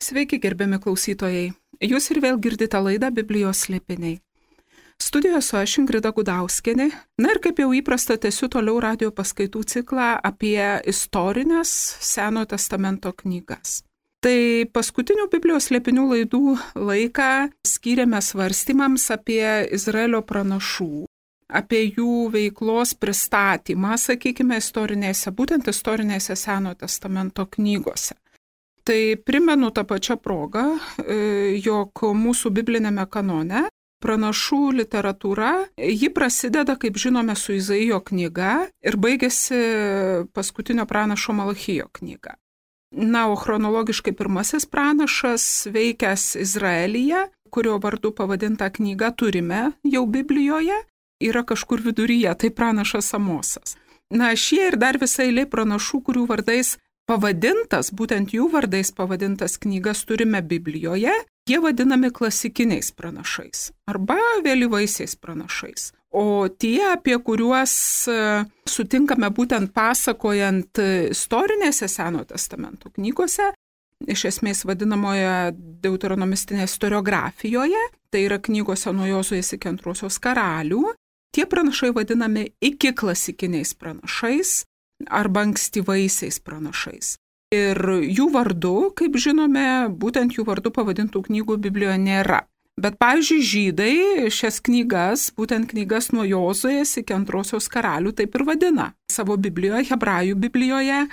Sveiki, gerbiami klausytojai. Jūs ir vėl girdite laidą Biblijos slėpiniai. Studijoje su aš Ingrida Gudauskienė. Na ir kaip jau įprasta, tęsiu toliau radio paskaitų ciklą apie istorinės Senojo testamento knygas. Tai paskutinių Biblijos slėpinių laidų laiką skyrėme svarstymams apie Izraelio pranašų, apie jų veiklos pristatymą, sakykime, būtent istorinėse Senojo testamento knygose. Tai primenu tą pačią progą, jog mūsų biblinėme kanone pranašų literatūra, ji prasideda, kaip žinome, su Izaijo knyga ir baigėsi paskutinio pranašo Malachijo knyga. Na, o chronologiškai pirmasis pranašas veikęs Izraelyje, kurio vardu pavadinta knyga turime jau Biblijoje, yra kažkur viduryje, tai pranašas Amosas. Na, šie ir dar visai eilė pranašų, kurių vardais pavadintas, būtent jų vardais pavadintas knygas turime Biblijoje, jie vadinami klasikiniais pranašais arba vėlyvaisiais pranašais. O tie, apie kuriuos sutinkame būtent pasakojant istorinėse Senojo testamento knygose, iš esmės vadinamoje deuteronomistinėje istoriografijoje, tai yra knygose nuo Jozuės iki Antrosios karalių, tie pranašai vadinami iki klasikiniais pranašais arba ankstyvaisiais pranašais. Ir jų vardu, kaip žinome, būtent jų vardu pavadintų knygų Biblijoje nėra. Bet, pavyzdžiui, žydai šias knygas, būtent knygas nuo Jozuės iki Antrosios karalių, taip ir vadina savo Biblijoje, hebrajų Biblijoje,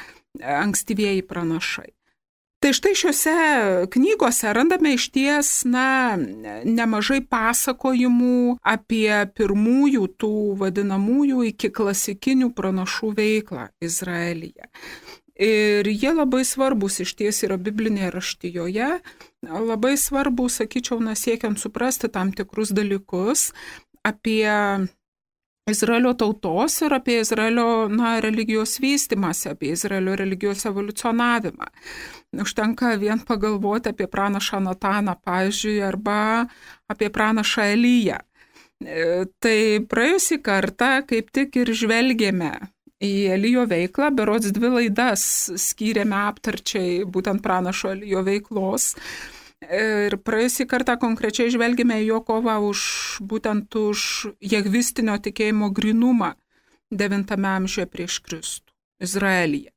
ankstyvieji pranašai. Tai štai šiuose knygose randame išties, nemažai pasakojimų apie pirmųjų tų vadinamųjų iki klasikinių pranašų veiklą Izraelyje. Ir jie labai svarbus išties yra biblinėje raštijoje, labai svarbu, sakyčiau, siekiant suprasti tam tikrus dalykus apie Izraelio tautos ir apie Izraelio religijos vystymąsi, apie Izraelio religijos evoliucionavimą. Užtenka vien pagalvoti apie pranašą Nataną, pavyzdžiui, arba apie pranašą Eliją. Tai praėjusį kartą kaip tik ir žvelgėme į Elijo veiklą, berods 2 laidas skyrėme aptarčiai būtent pranašo Elijo veiklos. Ir praėjusį kartą konkrečiai žvelgėme į jo kovą būtent už jahvistinio tikėjimo grynumą 9 amžiuje prieš Kristų Izraelyje.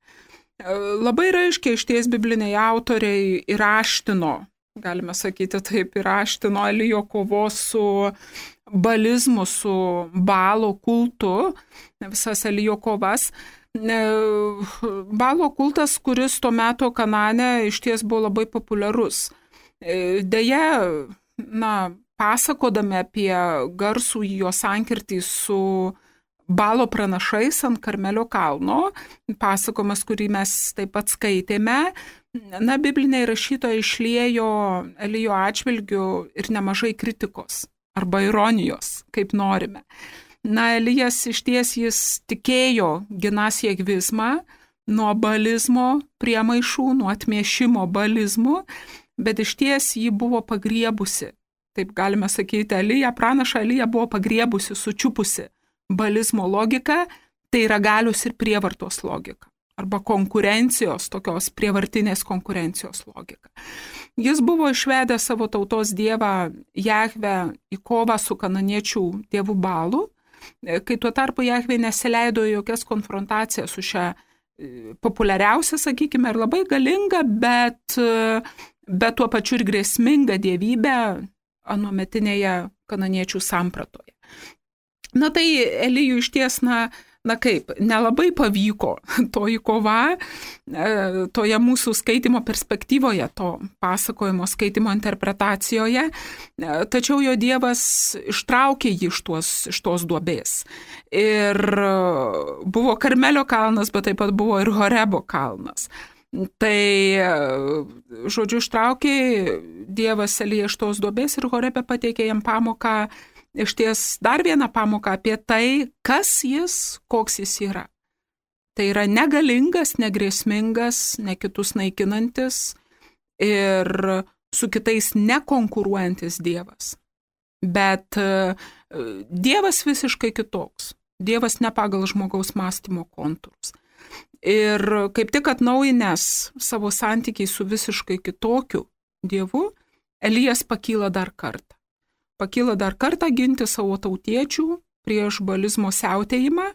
Labai raiškiai išties bibliniai autoriai įraštino, galime sakyti taip, įraštino Elijo kovos su balizmu, su Baalo kultu, visas Elijo kovas. Baalo kultas, kuris tuo metu Kanane išties buvo labai populiarus. Deja, pasakodami apie garsų jo sankirtį su Baalo pranašais ant Karmelio kalno, pasakojimas, kurį mes taip pat skaitėme, bibliniai rašytojai išliejo Elijo atžvilgiu ir nemažai kritikos arba ironijos, kaip norime. Elijas išties jis tikėjo ginąs jahvizmą nuo balizmo priemaišų, nuo atmiešimo balizmų, bet išties jį buvo pagriebusi, taip galime sakyti, pranašą Eliją buvo pagriebusi, sučiupusi balizmo logika, tai yra galios ir prievartos logika, arba konkurencijos, tokios prievartinės konkurencijos logika. Jis buvo išvedęs savo tautos dievą Jahvę į kovą su kananiečių dievu Baalu, kai tuo tarpu Jahvė nesileido į jokias konfrontacijas su šia populiariausia, sakykime, ir labai galinga, bet tuo pačiu ir grėsminga dievybė anuometinėje kananiečių sampratoje. Tai Elijui išties, nelabai pavyko toji kova, toje mūsų skaitimo perspektyvoje, to pasakojimo skaitimo interpretacijoje, tačiau jo dievas ištraukė jį iš tos duobės. Ir buvo Karmelio kalnas, bet taip pat buvo ir Horebo kalnas. Tai, žodžiu, ištraukė dievas Eliją iš tos duobės ir Horebe pateikė jam pamoką, išties dar vieną pamoką apie tai, kas jis, koks jis yra. Tai yra negalingas, negrėsmingas, ne kitus naikinantis ir su kitais nekonkuruojantis dievas. Bet dievas visiškai kitoks. Dievas ne pagal žmogaus mąstymo kontūrus. Ir kaip tik atnaujinęs savo santykiai su visiškai kitokiu Dievu, Elijas pakyla dar kartą. Pakyla dar kartą ginti savo tautiečių prieš balizmo siautėjimą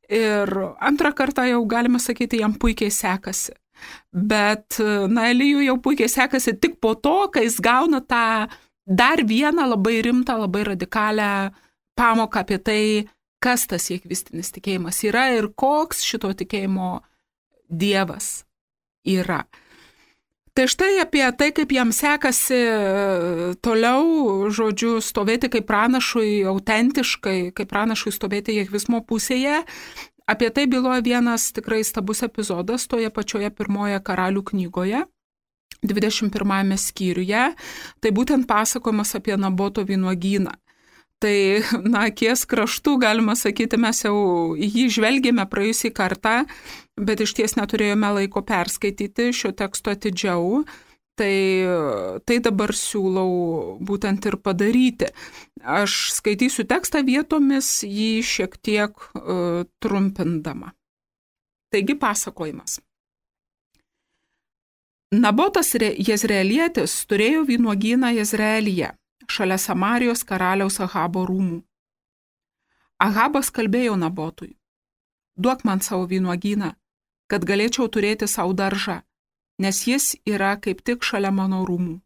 ir antrą kartą jau galima sakyti, jam puikiai sekasi. Bet, Elijui jau puikiai sekasi tik po to, kai jis gauna tą dar vieną labai rimtą, labai radikalią pamoką apie tai, kas tas jehvistinis tikėjimas yra ir koks šito tikėjimo Dievas yra. Tai štai apie tai, kaip jam sekasi toliau, žodžiu, stovėti kaip pranašui autentiškai, kaip pranašui stovėti jehvizmo pusėje, apie tai byloja vienas tikrai stabus epizodas toje pačioje pirmoje Karalių knygoje, 21 skyriuje, tai būtent pasakojimas apie Naboto vynuogyną. Tai, akies kraštų, galima sakyti, mes jau jį žvelgėme praėjusį kartą, bet iš ties neturėjome laiko perskaityti šio teksto atidžiau, tai dabar siūlau būtent ir padaryti. Aš skaitysiu tekstą vietomis, jį šiek tiek trumpindama. Taigi pasakojimas. Nabotas Jezreelietis turėjo vynuogyną Jezreelyje, šalia Samarijos karaliaus Ahabo rūmų. Ahabas kalbėjo Nabotui: duok man savo vynuogyną, kad galėčiau turėti savo daržą, nes jis yra kaip tik šalia mano rūmų.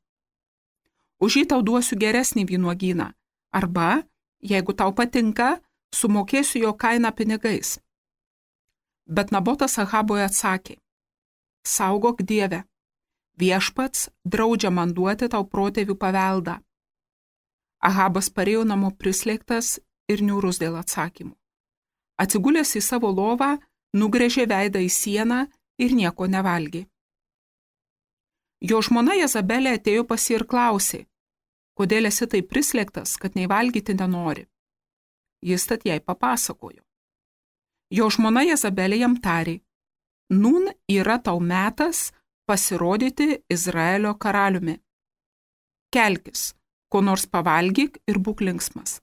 Už jį tau duosiu geresnį vynuogyną, arba, jeigu tau patinka, sumokėsiu jo kainą pinigais. Bet Nabotas Ahabui atsakė: saugok Dieve, viešpats draudžia man duoti tau protėvių paveldą. Ahabas parėjo namo prislėgtas ir niūrus dėl atsakymų. Atsigulęs į savo lovą, nugręžė veidą į sieną ir nieko nevalgė. Jo žmona Jezabelė atėjo pas jį ir klausė: kodėl esi taip prislėgtas, kad nei valgyti nenori? Jis tad jai papasakojo. Jo žmona Jezabelė jam tarė: nūn yra tau metas pasirodyti Izraelio karaliumi. Kelkis, ko nors pavalgyk ir būk linksmas.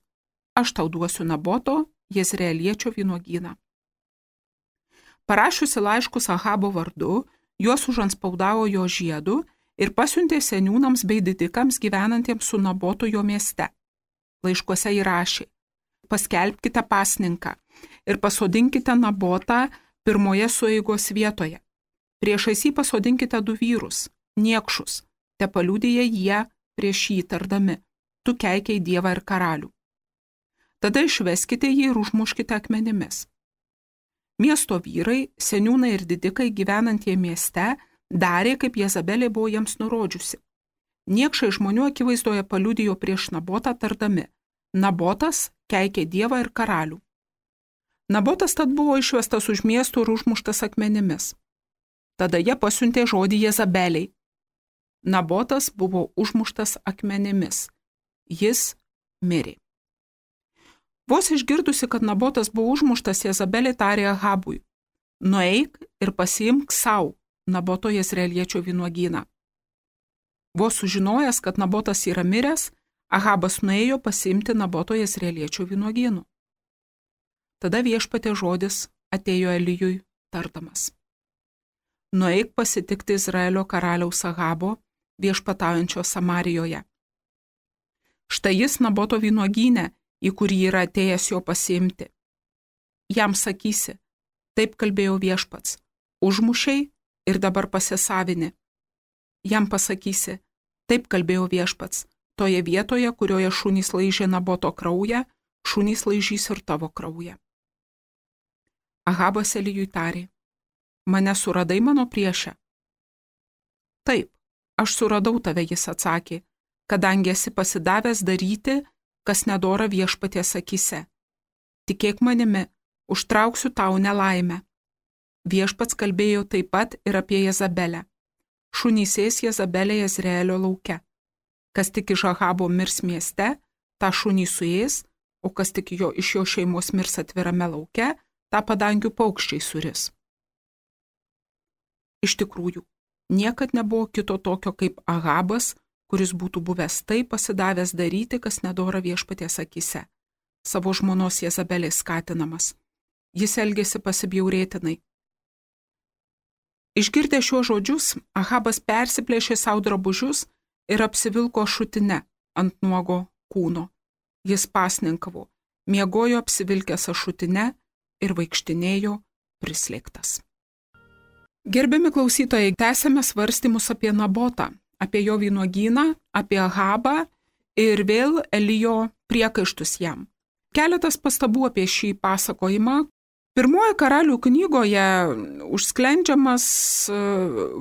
Aš tau duosiu Naboto Jezreeliečio vynuogyną. Parašiusi laiškus Ahabo vardu, juos užanspaudavo jo žiedu ir pasiuntė seniūnams bei didikams gyvenantiems su Nabotu jo mieste. Laiškuose įrašė: paskelbkite pasninką ir pasodinkite Nabotą pirmoje sueigos vietoje. Priešais jį pasodinkite 2 vyrus, niekšus, tepaliudija jie prieš jį tardami: tu keikiai Dievą ir karalių. Tada išveskite jį ir užmuškite akmenimis. Miesto vyrai, seniūnai ir didikai gyvenantie mieste darė, kaip Jezabelė buvo jiems nurodžiusi. Niekšai žmonių akivaizdoje paliudijo prieš Nabotą tardami: Nabotas keikė Dievą ir karalių. Nabotas tad buvo išvestas už miestų ir užmuštas akmenimis. Tada jie pasiuntė žodį Jezabeliai. Nabotas buvo užmuštas akmenimis. Jis mirė. Vos išgirdusi, kad Nabotas buvo užmuštas, Jezabelė tarė Ahabui: nueik ir pasiimk savo Naboto Jezreeliečio vynuogyną. Vos sužinojęs, kad Nabotas yra miręs, Ahabas nuėjo pasiimti Naboto Jezreeliečio vynuogynų. Tada viešpatie žodis atėjo Elijui tardamas: nueik pasitikti Izraelio karaliaus Ahabo, viešpataujančio Samarijoje. Štai jis Naboto vynuogyne, į kurį yra atėjęs jo pasiimti. Jam sakysi: taip kalbėjo viešpats, užmušiai ir dabar pasisavini. Jam pasakysi: taip kalbėjo viešpats, toje vietoje, kurioje šunys laižė Naboto kraują, šunys laižys ir tavo kraują. Ahabas Elijui tarė: mane suradai mano priešę? Taip, aš suradau tave, jis atsakė, kadangi esi pasidavęs daryti, kas nedora viešpaties akyse. Tikėk manimi, užtrauksiu tau nelaimę. Viešpats kalbėjo taip pat ir apie Jezabelę. Šunys ės Jezabelė Jezreelio lauke. Kas tik iš Ahabo mirs mieste, tą šunį suės, o kas tik iš jo šeimos mirs atvirame lauke, tą padangių paukščiai suris. Iš tikrųjų, niekad nebuvo kito tokio kaip Ahabas, kuris būtų buvęs taip pasidavęs daryti, kas nedora viešpaties akyse, savo žmonos Jezabelės skatinamas. Jis elgėsi pasibjaurėtinai. Išgirdęs šiuos žodžius, Ahabas persiplėšė savo drabužius ir apsivilko šutine ant nuogo kūno. Jis pasninkavo, miegojo apsivilkęs ašutine ir vaikštinėjo prislėgtas. Gerbiami klausytojai, tęsėme svarstymus apie Nabotą, apie jo vynuogyną, apie Ahabą ir vėl Elijo priekaištus jam. Keletas pastabų apie šį pasakojimą. Pirmoje karalių knygoje užsklendžiamas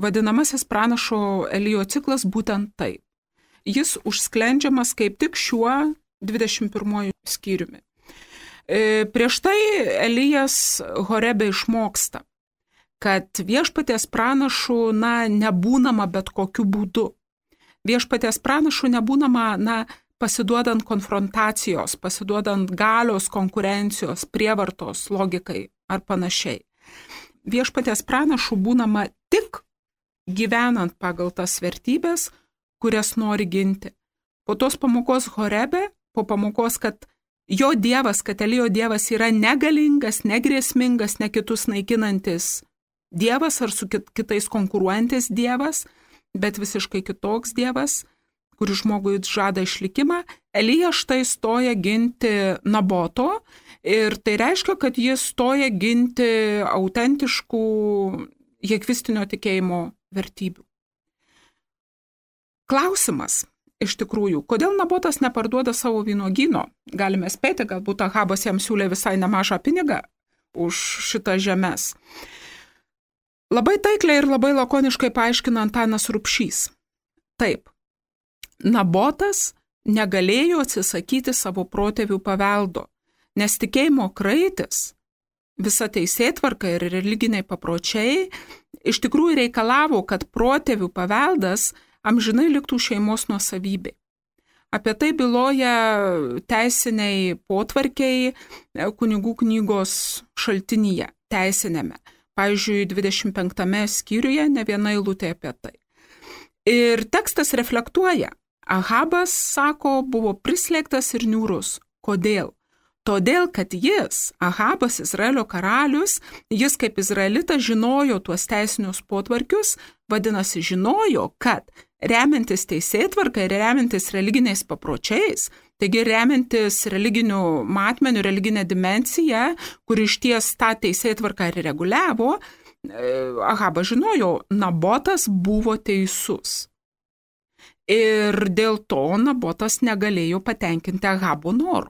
vadinamasis pranašo Elijo ciklas būtent taip. Jis užsklendžiamas kaip tik šiuo 21 skyriumi. Prieš tai Elijas Horebe išmoksta, kad viešpaties pranašų nebūnama bet kokiu būdu. Viešpaties pranašų nebūnama pasiduodant konfrontacijos, pasiduodant galios, konkurencijos, prievartos, logikai ar panašiai. Viešpaties pranašų būnama tik gyvenant pagal tas vertybės, kurias nori ginti. Po tos pamokos Horebe, po pamokos, kad jo dievas, kad Elijo dievas yra negalingas, negrėsmingas, ne kitus naikinantis dievas ar su kitais konkuruojantis dievas, bet visiškai kitoks dievas, kuris žmogui žada išlikimą, Elijas štai stoja ginti Naboto ir tai reiškia, kad jis stoja ginti autentiškų jehvistinio tikėjimo vertybių. Klausimas iš tikrųjų, kodėl Nabotas neparduoda savo vynuogyno? Galime spėti, galbūt Ahabas jam siūlė visai nemažą pinigą už šitas žemes. Labai taikliai ir labai lakoniškai paaiškina Antanas Rubšys. Taip, Nabotas negalėjo atsisakyti savo protėvių paveldo, nes tikėjimo kraitis, visa teisėtvarka ir religiniai papročiai iš tikrųjų reikalavo, kad protėvių paveldas amžinai liktų šeimos nuosavybė. Apie tai byloja teisiniai potvarkiai kunigų knygos šaltinyje, teisinėme. Pavyzdžiui, 25 skyriuje ne viena eilutė apie tai. Ir tekstas reflektuoja. Ahabas, sako, buvo prislėgtas ir niūrus. Kodėl? Todėl, kad jis, Ahabas, Izraelio karalius, jis kaip izraelitas žinojo tuos teisinius potvarkius, vadinasi, žinojo, kad remiantis teisėtvarka ir remiantis religiniais papročiais, taigi remiantis religinių matmenių, religinę dimensiją, kur išties tą teisėtvarką ir reguliavo, Ahabas žinojo, Nabotas buvo teisus. Ir dėl to Nabotas negalėjo patenkinti Ahabo norų.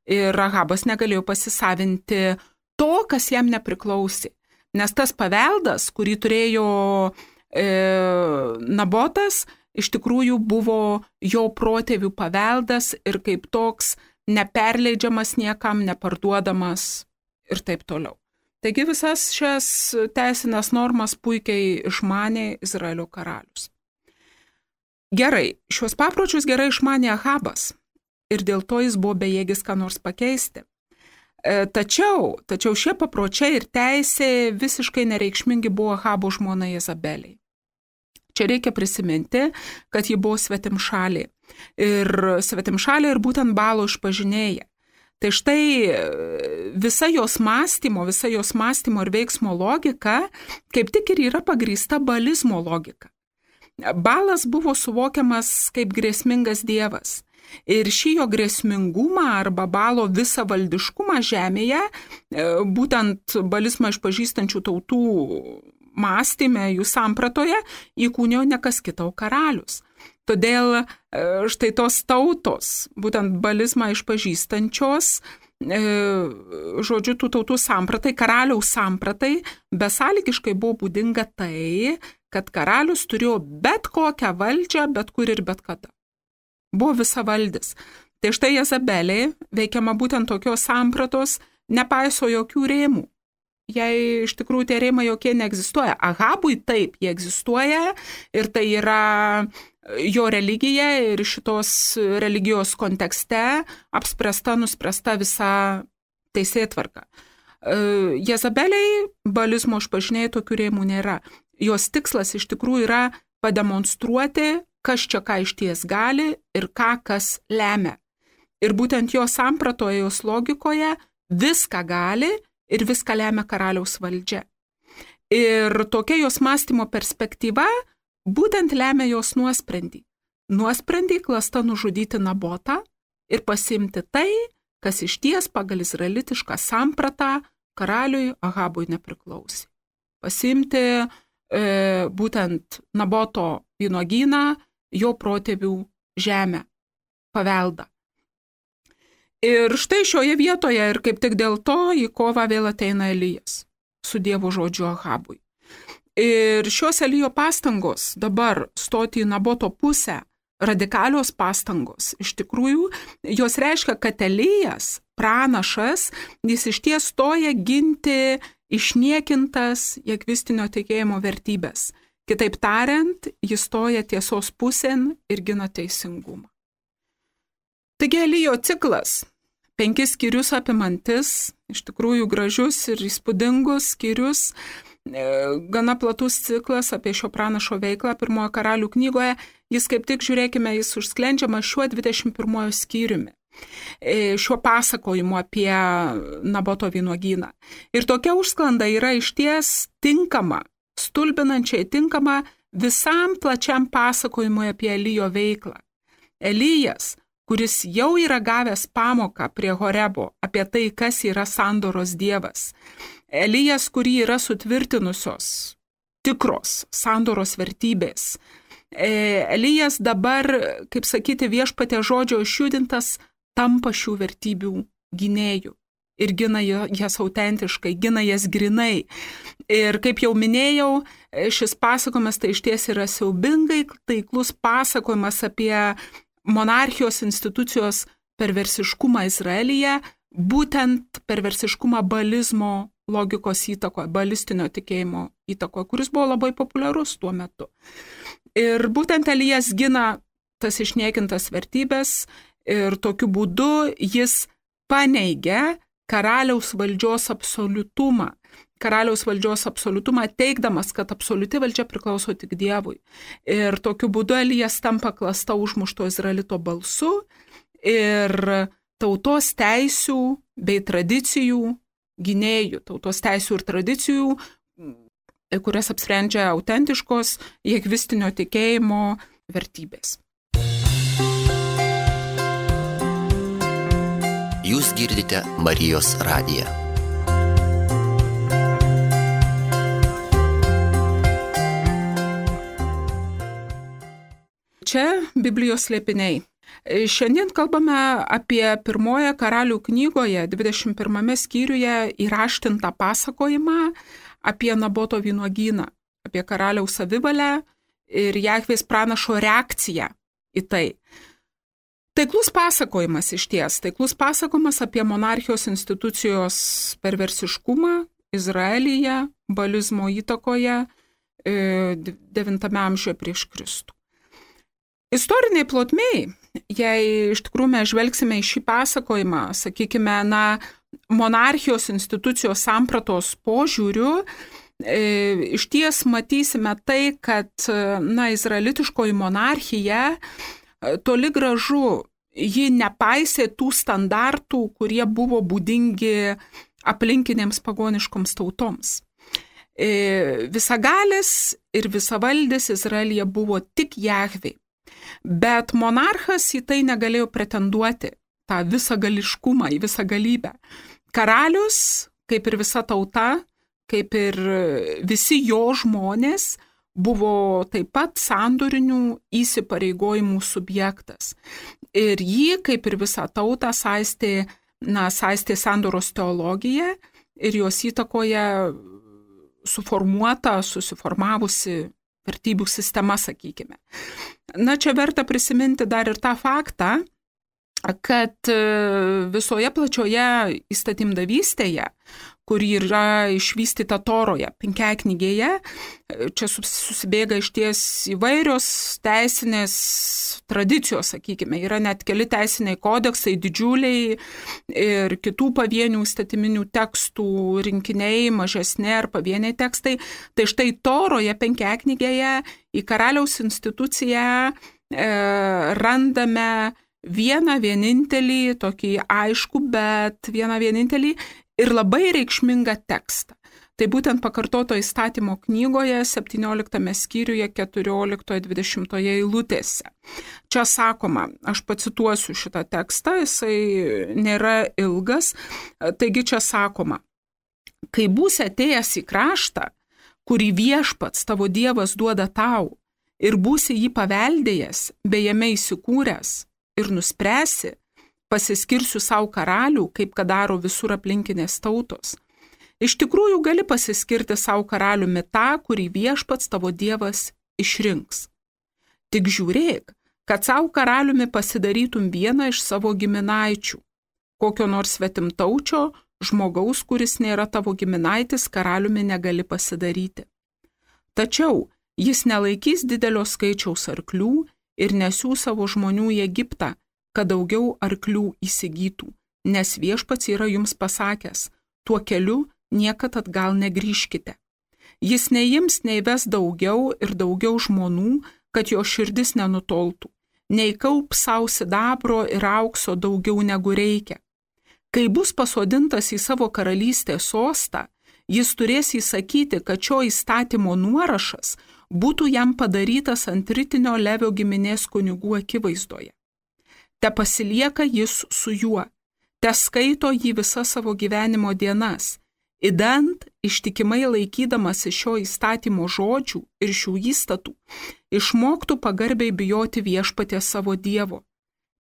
Ir Ahabas negalėjo pasisavinti to, kas jam nepriklausė. Nes tas paveldas, kurį turėjo Nabotas, iš tikrųjų buvo jo protėvių paveldas ir kaip toks neperleidžiamas niekam, neparduodamas ir taip toliau. Taigi visas šias teisinės normas puikiai išmanė Izraelio karalius. Gerai, šios papročius gerai išmanė Ahabas ir dėl to jis buvo bejėgis ką nors pakeisti. Tačiau šie papročiai ir teisė visiškai nereikšmingi buvo Ahabo žmona Jezabeliai. Čia reikia prisiminti, kad ji buvo svetimšalė ir būtent Baalo išpažinėja. Tai štai visa jos mąstymo ir veiksmo logika kaip tik ir yra pagrįsta baalizmo logika. Baalas buvo suvokiamas kaip grėsmingas dievas ir šį jo grėsmingumą arba Baalo visą valdiškumą žemėje, būtent baalizmą išpažįstančių tautų mąstyme, jų sampratoje, įkūnijo ne kas kita, o karalius. Todėl štai tos tautos, būtent baalizmą išpažįstančios, žodžiu, tų tautų sampratai, karaliaus sampratai, besąlygiškai buvo būdinga tai, kad karalius turėjo bet kokią valdžią, bet kur ir bet kada. Buvo visavaldis. Tai štai Jezabelė, veikiama būtent tokios sampratos, nepaiso jokių rėmų. Jei iš tikrųjų tie rėmai jokie neegzistuoja. Ahabui taip, jie egzistuoja ir tai yra jo religija ir šitos religijos kontekste nuspręsta visa teisėtvarka. Jezabeliai baalizmo išpažinėjai tokių rėmų nėra. Jos tikslas iš tikrųjų yra pademonstruoti, kas čia ką išties gali ir ką kas lemia. Ir būtent jos sampratoje, jos logikoje viską gali ir viską lemia karaliaus valdžia. Ir tokia jos mąstymo perspektyva būtent lemia jos nuosprendį. nuosprendį klasta nužudyti Nabotą ir pasiimti tai, kas išties pagal izraelitišką sampratą karaliui Ahabui nepriklausė. Pasiimti būtent Naboto vynuogyną, jo protėvių žemę, paveldą. Ir štai šioje vietoje ir kaip tik dėl to į kovą vėl ateina Elijas su Dievo žodžiu Ahabui. Ir šios Elijo pastangos dabar stoti į Naboto pusę, radikalios pastangos, iš tikrųjų, jos reiškia, kad Elijas, pranašas, jis išties stoja ginti išniekintas jahvistinio tikėjimo vertybės. Kitaip tariant, jis stoja tiesos pusėn ir gina teisingumą. Taigi Elijo ciklas, 5 skyrius apimantis, iš tikrųjų gražius ir įspūdingus skyrius, gana platus ciklas apie šio pranašo veiklą 1 Karalių knygoje, jis kaip tik, žiūrėkime, jis užsklendžiama šiuo 21 skyriumi, šiuo pasakojimu apie Naboto vynuogyną. Ir tokia užsklanda yra išties tinkama, stulbinančiai tinkama visam plačiam pasakojimui apie Elijo veiklą. Elijas, kuris jau yra gavęs pamoką prie Horebo apie tai, kas yra sandoros dievas. Elijas, kurį yra sutvirtinusios tikros sandoros vertybės. Elijas dabar, kaip sakyti, viešpatė žodžio išjudintas, tampa šių vertybių gynėjų ir gina jas autentiškai, gina jas grinai. Ir kaip jau minėjau, šis pasakojimas tai išties yra siaubingai taiklus pasakojimas apie monarchijos institucijos perversiškumą Izraelyje, būtent perversiškumą baalizmo logikos įtakoje, baalistinio tikėjimo įtakoje, kuris buvo labai populiarus tuo metu. Ir būtent Elijas gina tas išniekintas vertybės ir tokiu būdu jis paneigia karaliaus valdžios absoliutumą. Karaliaus valdžios absoliutumą teigdamas, kad absoliuti valdžia priklauso tik Dievui. Ir tokiu būdu Elijas tampa klasta užmušto izraelito balsu ir tautos teisių bei tradicijų gynėjų, tautos teisių ir tradicijų, kurias apsprendžia autentiškos jahvistinio tikėjimo vertybės. Jūs girdite Marijos radiją. Čia Biblijos slėpiniai. Šiandien kalbame apie 1 Karalių knygoje 21 skyriuje įraštintą pasakojimą apie Naboto vynuogyną, apie karaliaus savivalę ir Jahvės pranašo reakciją į tai. Taiklus pasakojimas išties, taiklus pasakojimas apie monarchijos institucijos perversiškumą Izraelyje, baalizmo įtakoje 9 amžiuje prieš Kristų. Istoriniai plotmiai, jei iš tikrųjų mes žvelgsime į šį pasakojimą, sakykime, monarchijos institucijos sampratos požiūriu, išties matysime tai, kad izraelitiškoji monarchija toli gražu ji nepaisė tų standartų, kurie buvo būdingi aplinkinėms pagoniškoms tautoms. Visagalis ir visavaldis Izraelyje buvo tik Jahvė. Bet monarchas į tai negalėjo pretenduoti, tą visagališkumą, į visagalybę. Karalius, kaip ir visa tauta, kaip ir visi jo žmonės, buvo taip pat sandorinių įsipareigojimų subjektas. Ir jį, kaip ir visą tautą, saistė sandoros teologija ir jos įtakoje susiformavusi vertybių sistema, sakykime. Čia verta prisiminti dar ir tą faktą, kad visoje plačioje įstatymdavystėje, kuri yra išvystyta Toroje, penkiaknygėje, čia susibėga išties įvairios teisinės tradicijos, sakykime, yra net keli teisiniai kodeksai, didžiuliai ir kitų pavienių įstatyminių tekstų rinkiniai, mažesni ar pavieniai tekstai. Tai štai Toroje, penkiaknygėje, į karaliaus instituciją randame vieną vienintelį, tokį aišku, bet vieną vienintelį ir labai reikšmingą tekstą. Tai būtent pakartoto įstatymo knygoje 17 skyriuje 14-20 eilutėse. Čia sakoma, aš pacituosiu šitą tekstą, jisai nėra ilgas, taigi čia sakoma, kai būsi atėjęs į kraštą, kurį viešpats tavo Dievas duoda tau, ir būsi jį paveldėjęs, bei jame įsikūręs, ir nuspręsi, pasiskirsiu savo karalių, kaip kad daro visur aplinkinės tautos. Iš tikrųjų gali pasiskirti savo karaliumi tą, kurį viešpats tavo Dievas išrinks. Tik žiūrėk, kad savo karaliumi pasidarytum vieną iš savo giminaičių, kokio nors svetimtaučio žmogaus, kuris nėra tavo giminaitis, karaliumi negali pasidaryti. Tačiau jis nelaikys didelio skaičiaus arklių ir nesiųs savo žmonių į Egiptą, kad daugiau arklių įsigytų, nes viešpats yra jums pasakęs, tuo keliu niekad atgal negrįžkite. Jis neims neįves daugiau ir daugiau žmonų, kad jo širdis nenutoltų, neįkaups savo sidabro ir aukso daugiau negu reikia. Kai bus pasodintas į savo karalystės sostą, jis turės įsakyti, kad šio įstatymo nuorašas būtų jam padarytas ant ritinio Levio giminės kunigų akivaizdoje. Te pasilieka jis su juo, te skaito jį visas savo gyvenimo dienas, idant ištikimai laikydamasi šio įstatymo žodžių ir šių įstatų, išmoktų pagarbiai bijoti viešpaties savo Dievo.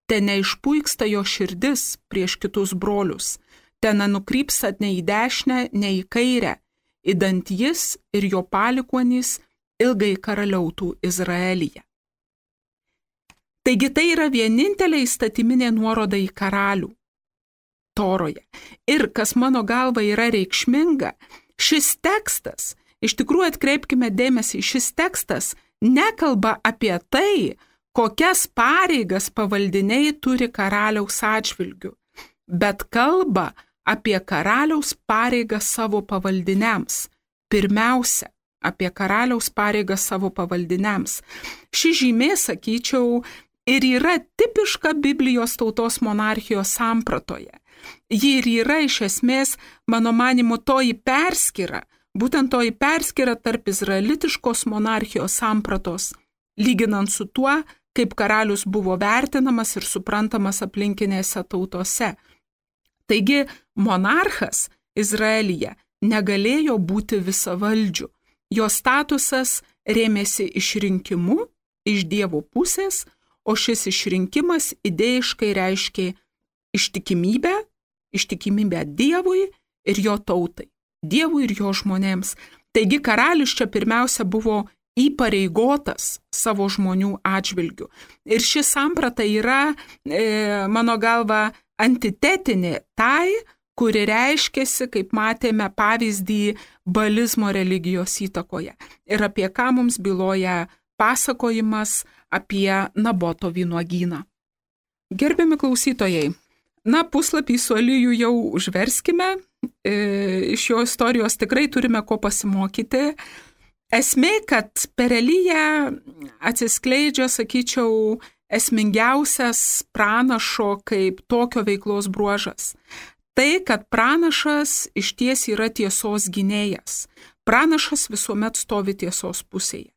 Te neišpuiksta jo širdis prieš kitus brolius, te nenukrypstat nei į dešinę, nei į kairę, idant jis ir jo palikuonys ilgai karaliautų Izraelyje. Taigi tai yra vienintelė įstatyminė nuoroda į karalių Toroje. Ir kas mano galva yra reikšminga, šis tekstas, iš tikrųjų atkreipkime dėmesį, šis tekstas nekalba apie tai, kokias pareigas pavaldiniai turi karaliaus atžvilgiu, bet kalba apie karaliaus pareigas savo pavaldiniams. Pirmiausia, apie karaliaus pareigas savo pavaldiniams. Ši žymė, sakyčiau, ir yra tipiška Biblijos tautos monarchijos sampratoje. Ji ir yra iš esmės, mano manimu, toji perskyra, būtent toji perskyra tarp izraelitiškos monarchijos sampratos, lyginant su tuo, kaip karalius buvo vertinamas ir suprantamas aplinkinėse tautose. Taigi, monarchas Izraelyje negalėjo būti visavaldžiu. Jo statusas rėmėsi išrinkimu iš Dievo pusės, o šis išrinkimas idėjiškai reiškė ištikimybę Dievui ir jo tautai, Dievui ir jo žmonėms. Taigi karalius čia pirmiausia buvo įpareigotas savo žmonių atžvilgių. Ir ši samprata yra, mano galva, antitetinė tai, kuri reiškėsi, kaip matėme pavyzdį, balizmo religijos įtakoje. Ir apie ką mums byloja pasakojimas apie Naboto vynuogyną. Gerbiami klausytojai, puslapį su Eliju jau užverskime, iš jo istorijos tikrai turime ko pasimokyti. Esmė, kad per Eliją atsiskleidžia, sakyčiau, esmingiausias pranašo kaip tokio veiklos bruožas. Tai, kad pranašas išties yra tiesos gynėjas. Pranašas visuomet stovi tiesos pusėje.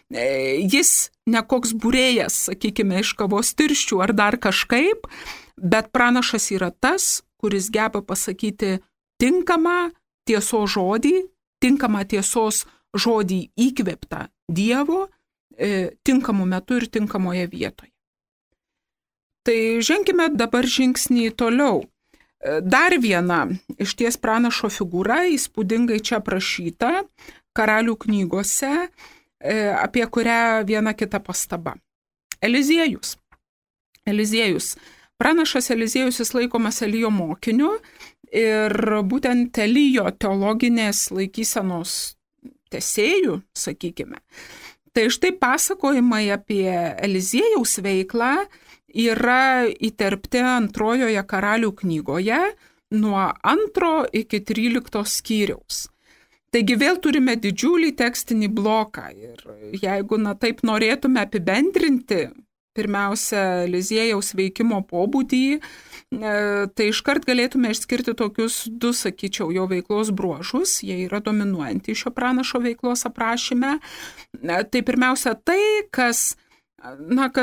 Jis ne koks būrėjas, sakykime, iš kavos tirščių ar dar kažkaip, bet pranašas yra tas, kuris geba pasakyti tinkamą tiesos žodį įkvėptą Dievo tinkamu metu ir tinkamoje vietoje. Tai ženkime dabar žingsnį toliau. Dar viena išties pranašo figūra, įspūdingai čia aprašyta karalių knygose, apie kurią viena kita pastaba. Eliziejus. Pranašas Eliziejus jis laikomas Elijo mokiniu ir būtent Elijo teologinės laikysenos tęsėjų, sakykime. Tai štai pasakojimai apie Eliziejaus veiklą yra įterpti antrojoje karalių knygoje nuo 2 iki 13 skyriaus. Taigi vėl turime didžiulį tekstinį bloką ir jeigu taip norėtume apibendrinti pirmiausia Eliziejaus veikimo pobūdį, tai iškart galėtume išskirti tokius du, sakyčiau, jo veiklos bruožus. Jie yra dominuojantys šio pranašo veiklos aprašyme. Tai pirmiausia tai, kas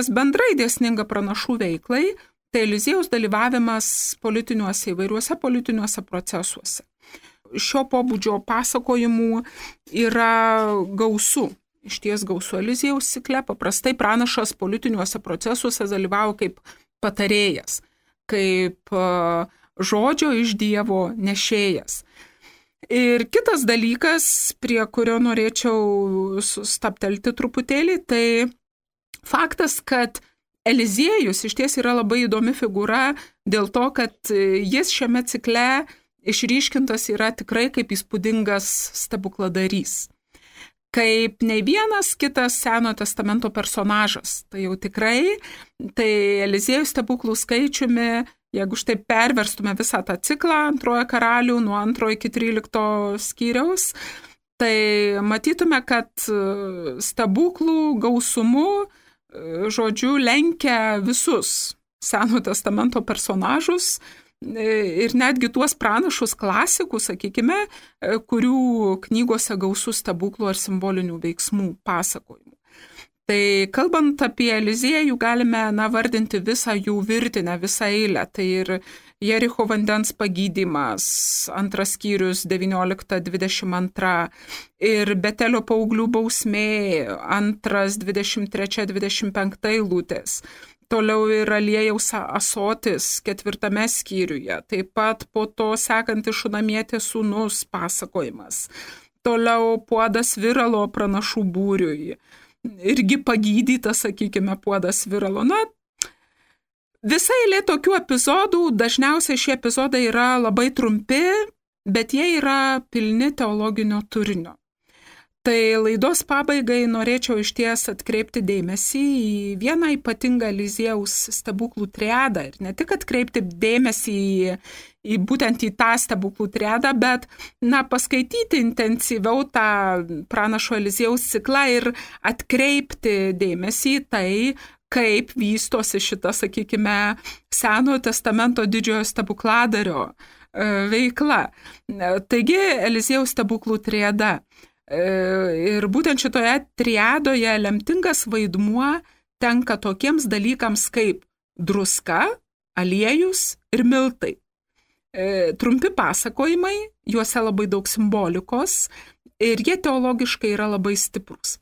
bendrai dėsninga pranašų veiklai, tai Eliziejaus dalyvavimas įvairiuose politiniuose procesuose. Šio pobūdžio pasakojimų yra gausu. Iš ties gausu Eliziejaus cikle. Paprastai pranašas politiniuose procesuose dalyvavo kaip patarėjas, kaip žodžio iš Dievo nešėjas. Ir kitas dalykas, prie kurio norėčiau stabtelti truputėlį, tai faktas, kad Eliziejus iš ties yra labai įdomi figūra dėl to, kad jis šiame cikle išryškintas yra tikrai kaip įspūdingas stebukladarys. Kaip nei vienas kitas Senojo testamento personažas. Tai jau tikrai, tai Eliziejų stebuklų skaičiumi, jeigu štai perverstume visą tą ciklą Antrojo karalių nuo 2 iki 13 skyriaus, tai matytume, kad stebuklų gausumu, žodžiu, lenkia visus Senojo testamento personažus ir netgi tuos pranašus klasikus, sakykime, kurių knygose gausų stebuklų ar simbolinių veiksmų pasakojimų. Tai kalbant apie Eliziejų, galime vardinti visą jų virtinę, visą eilę. Tai ir Jericho vandens pagydymas, 2 skyrius 19-22, ir Betelio paauglių bausmė, 2, 23-25 eilutės. Toliau ir aliejaus asotis 4 skyriuje, taip pat po to sekantis Šunamietės sūnus pasakojimas. Toliau puodas viralo pranašų būriui, irgi pagydytas, sakykime, puodas viralo. Visa eilė tokių epizodų, dažniausiai šie epizodai yra labai trumpi, bet jie yra pilni teologinio turinio. Tai laidos pabaigai norėčiau išties atkreipti dėmesį į vieną ypatingą Eliziejaus stebuklų triadą. Ir ne tik atkreipti dėmesį į būtent į tą stebuklų triadą, bet paskaityti intensyviau tą pranašo Eliziejaus ciklą ir atkreipti dėmesį į tai, kaip vystosi šita, sakykime, Senojo testamento didžiojo stebukladario veikla. Taigi Eliziejaus stebuklų triada. Ir būtent šitoje triadoje lemtingas vaidmuo tenka tokiems dalykams kaip druska, aliejus ir miltai. Trumpi pasakojimai, juose labai daug simbolikos ir jie teologiškai yra labai stiprus.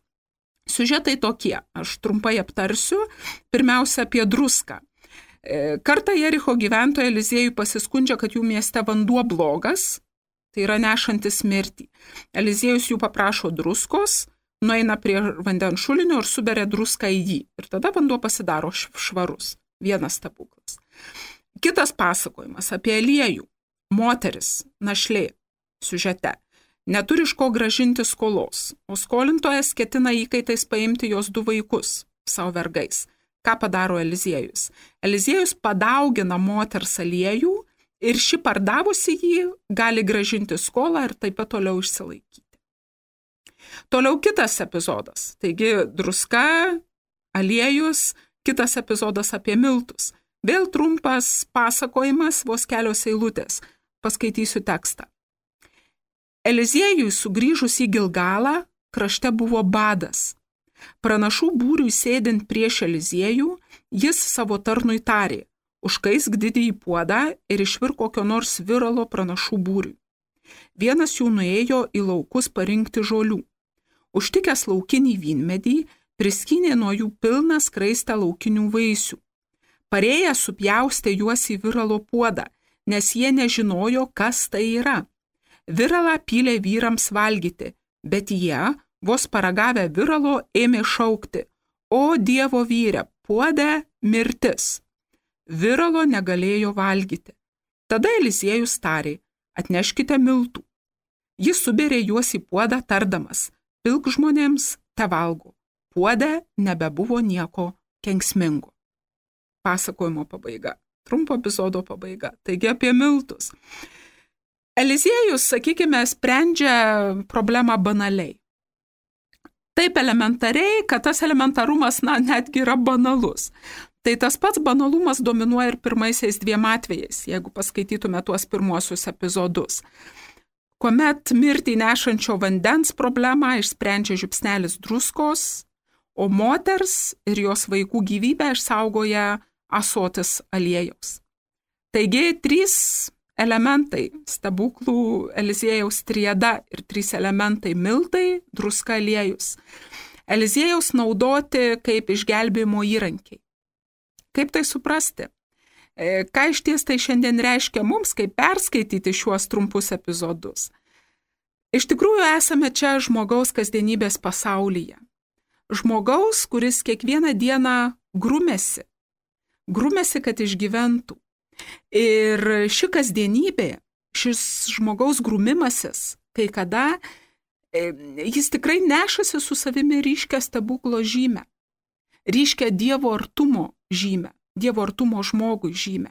Siužetai tokie, aš trumpai aptarsiu, pirmiausia apie druską. Kartą Jericho gyventojai Eliziejui pasiskundžia, kad jų mieste vanduo blogas, tai yra nešantis mirtį. Eliziejus jų paprašo druskos, nueina prie vandens šulinio ir suberia druską į jį. Ir tada vanduo pasidaro švarus. Vienas stebuklas. Kitas pasakojimas apie Eliejų. Moteris, našlė, siužete, neturi iš ko grąžinti skolos, o skolintojas ketina įkaitais paimti jos 2 vaikus, savo vergais. Ką padaro Eliziejus? Eliziejus padaugina moters aliejų, ir ši pardavusi jį gali grąžinti skolą ir taip pat toliau išsilaikyti. Toliau kitas epizodas. Taigi druska, aliejus, kitas epizodas apie miltus. Vėl trumpas pasakojimas, vos kelios eilutės. Paskaitysiu tekstą. Eliziejui sugrįžus į Gilgalą, krašte buvo badas. Pranašų būriui sėdint prieš Eliziejų, jis savo tarnui tarė: užkaisk didįjį puodą ir išvirk kokio nors viralo pranašų būriui. Vienas jų nuėjo į laukus parinkti žolių. Užtikęs laukinį vynmedį, priskynė nuo jų pilną skraistę laukinių vaisių. Parėjęs supjaustė juos į viralo puodą, nes jie nežinojo, kas tai yra. Viralą pylė vyrams valgyti, bet jie, vos paragavę viralo, ėmė šaukti: o Dievo vyre, puode mirtis. Viralo negalėjo valgyti. Tada Eliziejus tarė: atneškite miltų. Jis suberė juos į puodą tardamas: pilk žmonėms, te valgo. Puode nebebuvo nieko kenksmingo. Pasakojimo pabaiga. Trumpo epizodo pabaiga. Taigi apie miltus. Eliziejus, sakykime, sprendžia problemą banaliai. Taip elementariai, kad tas elementarumas netgi yra banalus. Tai tas pats banalumas dominuoja ir pirmaisiais 2 atvejais, jeigu paskaitytume tuos pirmuosius epizodus. Kuomet mirtį nešančio vandens problemą išsprendžia žiupsnelis druskos, o moters ir jos vaikų gyvybę išsaugoja ąsotis aliejaus. Taigi 3 elementai – stebuklų Eliziejaus triada ir 3 elementai – miltai, druska, aliejus. Eliziejaus naudoti kaip išgelbėjimo įrankiai. Kaip tai suprasti? Ką iš ties tai šiandien reiškia mums, kaip perskaityti šiuos trumpus epizodus? Iš tikrųjų esame čia žmogaus kasdienybės pasaulyje. Žmogaus, kuris kiekvieną dieną grumėsi, kad išgyventų. Ir ši kasdienybė, šis žmogaus grumimasis, kai kada jis tikrai nešasi su savimi ryškią stebuklo žymę, ryškią Dievo artumo žymę, Dievo artumo žmogui žymę.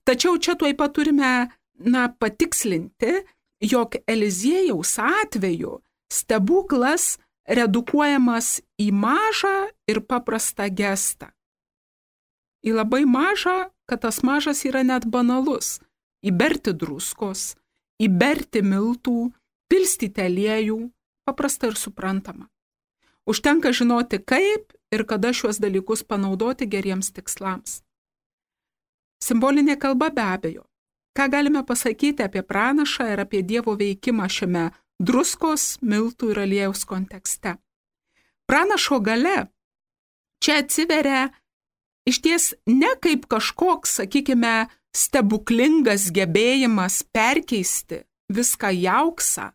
Tačiau čia tuoj pat turime patikslinti, jog Eliziejaus atveju stebuklas redukuojamas į mažą ir paprastą gestą. Į labai mažą, kad tas mažas yra net banalus. Įberti druskos, įberti miltų, pilstyti aliejų, paprasta ir suprantama. Užtenka žinoti, kaip ir kada šiuos dalykus panaudoti geriems tikslams. Simbolinė kalba be abejo. Ką galime pasakyti apie pranašą ir apie Dievo veikimą šiame druskos, miltų ir aliejaus kontekste? Pranašo galia čia atsiveria išties ne kaip kažkoks, sakykime, stebuklingas gebėjimas perkeisti viską į auksą,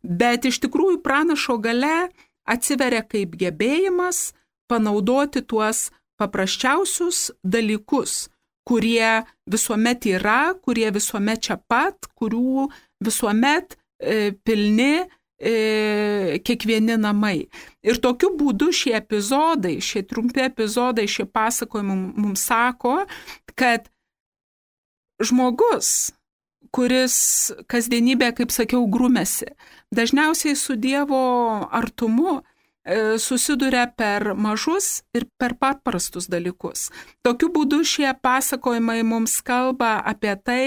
bet iš tikrųjų pranašo galia atsiveria kaip gebėjimas panaudoti tuos paprasčiausius dalykus, kurie visuomet yra, kurie visuomet čia pat, kurių visuomet pilni kiekvieni namai. Ir tokiu būdu šie epizodai, šie trumpi epizodai, šie pasakojimai mums sako, kad žmogus, kuris kasdienybė, kaip sakiau, grumėsi, dažniausiai su Dievo artumu susiduria per mažus ir per paprastus dalykus. Tokiu būdu šie pasakojimai mums kalba apie tai,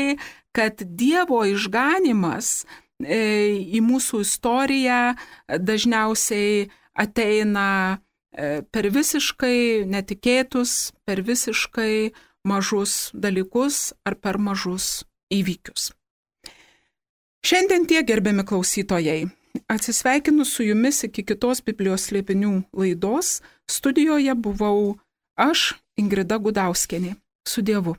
kad Dievo išganymas į mūsų istoriją dažniausiai ateina per visiškai netikėtus, per visiškai mažus dalykus ar per mažus įvykius. Šiandien tiek, gerbiami klausytojai. Atsisveikinu su jumis iki kitos Biblijos slėpinių laidos. Studijoje buvau aš, Ingrida Gudauskienė. Su Dievu.